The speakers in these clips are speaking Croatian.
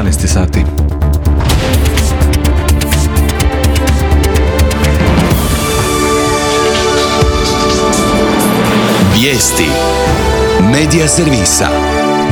11 sati. Vijesti Medija servisa.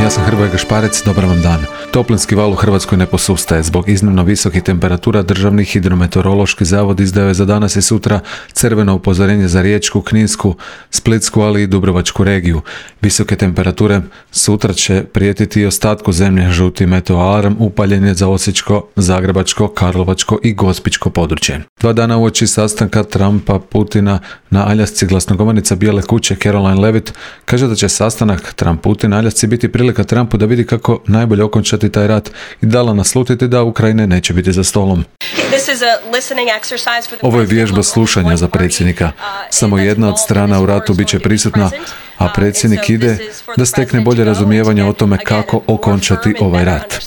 Ja sam Hrvoje Gašparec, dobar vam dan. Toplinski val u Hrvatskoj ne posustaje. Zbog iznimno visokih temperatura Državni hidrometeorološki zavod izdao je za danas i sutra crveno upozorenje za Riječku, Kninsku, Splitsku, ali i Dubrovačku regiju. Visoke temperature sutra će prijetiti i ostatku zemlje. Žuti meteoalarm upaljen je za Osječko, Zagrebačko, Karlovačko i Gospićko područje. 2 dana uoči sastanka Trumpa, Putina na Aljasci glasnogovornica Bijele kuće Caroline Levitt kaže da će sastanak Trump-Putin na Aljasci biti prilika Trumpu da vidi kako najbolje okončati taj rat i dala naslutiti da Ukrajine neće biti za stolom. Ovo je vježba slušanja za predsjednika. Samo jedna od strana u ratu bit će prisutna, a predsjednik ide da stekne bolje razumijevanje o tome kako okončati ovaj rat.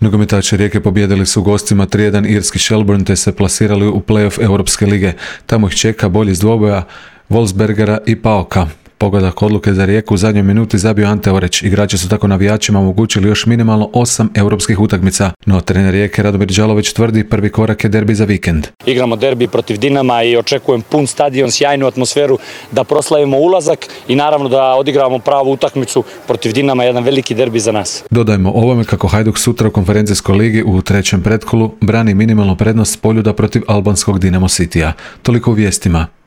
Nogometaši Rijeke pobijedili su gostima 3-1 irski Shelbourne te se plasirali u play-off Europske lige. Tamo ih čeka bolji iz dvoboja Wolfsbergera i Paoka. Pogodak odluke za Rijeku u zadnjoj minuti zabio Ante Oreć. Igrači su tako navijačima omogućili još minimalno 8 europskih utakmica. No trener Rijeke Radomir Đalović tvrdi prvi korak je derbi za vikend. Igramo derbi protiv Dinama i očekujem pun stadion, sjajnu atmosferu da proslavimo ulazak i naravno da odigramo pravu utakmicu protiv Dinama, jedan veliki derbi za nas. Dodajmo ovome kako Hajduk sutra u konferencijskoj ligi u trećem pretkolu brani minimalnu prednost Poljuda protiv albanskog Dinamo Citya. Toliko u vijestima.